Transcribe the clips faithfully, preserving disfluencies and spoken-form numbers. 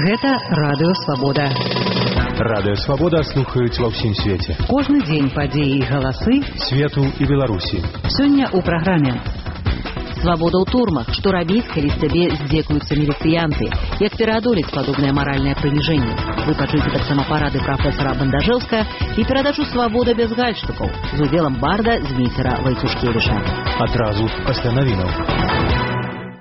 Гэта Радыё Свабода. Радыё Свабода слухаюць ва ўсім свеце. Кожны дзень падзеі і галасы свету і Беларусі. Сёння ў праграме «Свабода ў турмах. Што рабіць, калі з цябе здзекуюцца міліцыянты? Як пераадолець падобнае маральнае прыніжэнне?» Вы пачуеце таксама парады прафесара Бандажэўска і перадачу «Свабода без гальштукаў» з удзелам барда Зміцера Вайцушкевіча. Адразу пасля навінаў.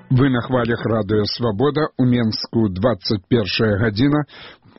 Вы на хвалях Радыё Свабода, у Менску двадцать першая гадзіна,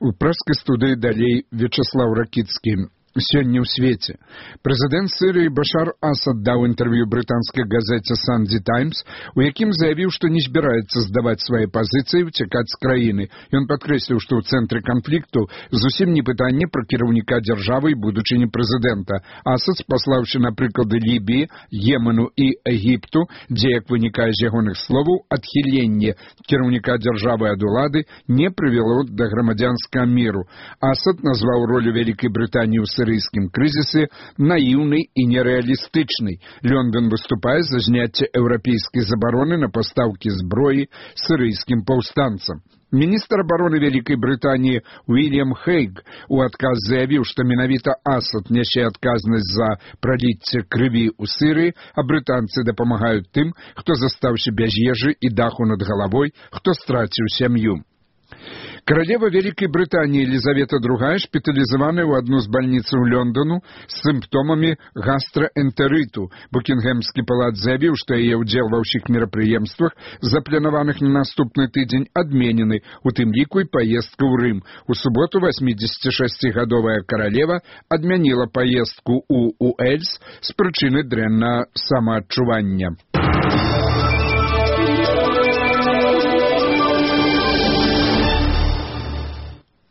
у прэскай студыі далей Вячеслав Ракіцкі. Сёння ў свеце. Прэзідэнт Сірыі Башар Асад даў інтэрв'ю брытанскай газеце «Санді Таймс», у якім заявіў, што не збіраецца здаваць свае пазіцыі і ўцякаць з краіны. Ён падкрэсліў, што ў цэнтры канфлікту зусім не пытанне пра кіраўніка дзяржавы і будучыні прэзідэнта. Асад, спаслаўшы на прыклады Лібіі, Йемену і Егіпту, дзе, як вынікае з ягоных словаў, адхіленне кіраўніка дзяржавы ад улады не прывяло да грамадзянскага міру. Асад назваў ролю Вялікай Брытаніі ў сірыйскім крызісе наіўнай і нерэалістычнай. Лондон выступае за зняцце еўрапейскай забароны на пастаўкі зброі сірыйскім паўстанцам. Міністр абароны Вялікай Брытаніі Уільям Хейг у адказ заявіў, што менавіта Асад нясе адказнасць за праліцце крыві ў Сірыі, а брытанцы дапамагаюць тым, хто застаўся без ежы і даху над галавой, хто страціў сям'ю. Каралева Вялікай Брытаніі Елізавета другая шпіталізаваная ў адну з бальніцаў Лондону з сімптомамі гастраэнтэрыту. Букінгемскі палац заявіў, што яе ўдзел ва ўсіх мерапрыемствах, запланаваных на наступны тыдзень, адменены, у тым ліку і паездка ў Рым. У суботу васьмідзесяцішасцігадовая каралева адмяніла паездку ў Уэльс з прычыны дрэннага самаадчування.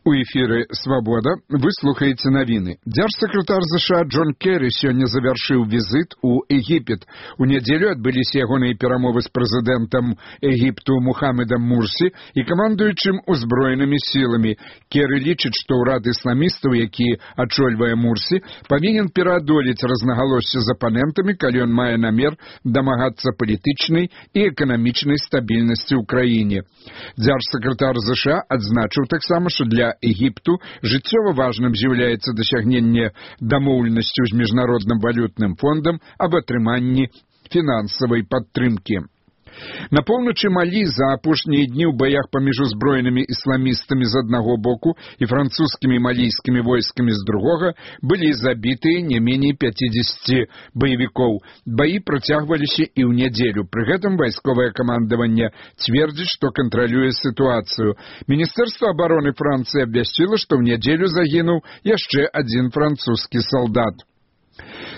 У эфіры «Свабода» вы слухаеце навіны. Дзяржсакратар ЗША Джон Керрі сёння завяршыў візіт у Егіпет. У нядзелю адбыліся ягоныя перамовы з прэзідэнтам Егіпту Мухаммедам Мурсі і камандуючым узброенымі сіламі. Керрі лічыць, што ўрад ісламістаў, які ачольвае Мурсі, павінен пераадолець рознагалоссі з апанентамі, калі ён мае намер дамагацца палітычнай і эканамічнай стабільнасці ў краіне. Дзяржсакратар ЗША адзначыў таксама, што для Егіпту жыццёва важным з'яўляецца дасягненне дамоўленасцю з міжнародным валютным фондам аб атрыманні фінансавай падтрымкі. На поўначы Малі за апошнія дні ў баях паміж узброенымі ісламістамі з аднаго боку і французскімі малійскімі войскамі з другога былі забітыя не меней пяцідзесяці баевікоў. Баі працягваліся і ў нядзелю. Пры гэтым вайсковае камандаванне цвердзіць, што кантралюе сітуацыю. Міністэрства абароны Францыі абвясціла, што ў нядзелю загінуў яшчэ адзін французскі салдат.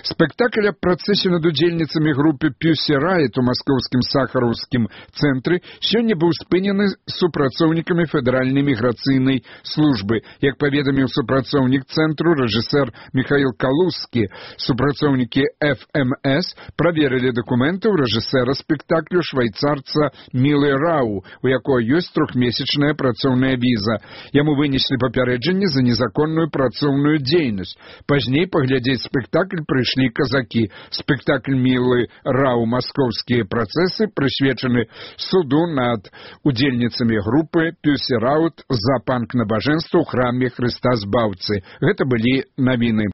Спектакль аб працэсе над удзельніцамі групы Pussy Riot у маскоўскім сахараўскім цэнтры сёння быў спынены супрацоўнікамі федэральнай міграцыйнай службы. Як паведаміў супрацоўнік цэнтру рэжысэр Михаил Калузскі, супрацоўнікі эф эм эс праверылі дакументы ў рэжысэра спектаклю швайцарца Мілы Рау, у якой ёсць трохмесячная працоўная віза. Яму вынеслі папярэджанне за незаконную працоўную дзейнасць. Пазней паглядзець спектакль прыйшлі казакі. Спектакль Мілы Рау «Маскоўскія працэсы» прысвечаны суду над удзельніцамі групы Pussy Riot за панк-набажэнства ў храме Хрыста Збаўцы. Гэта былі навіны.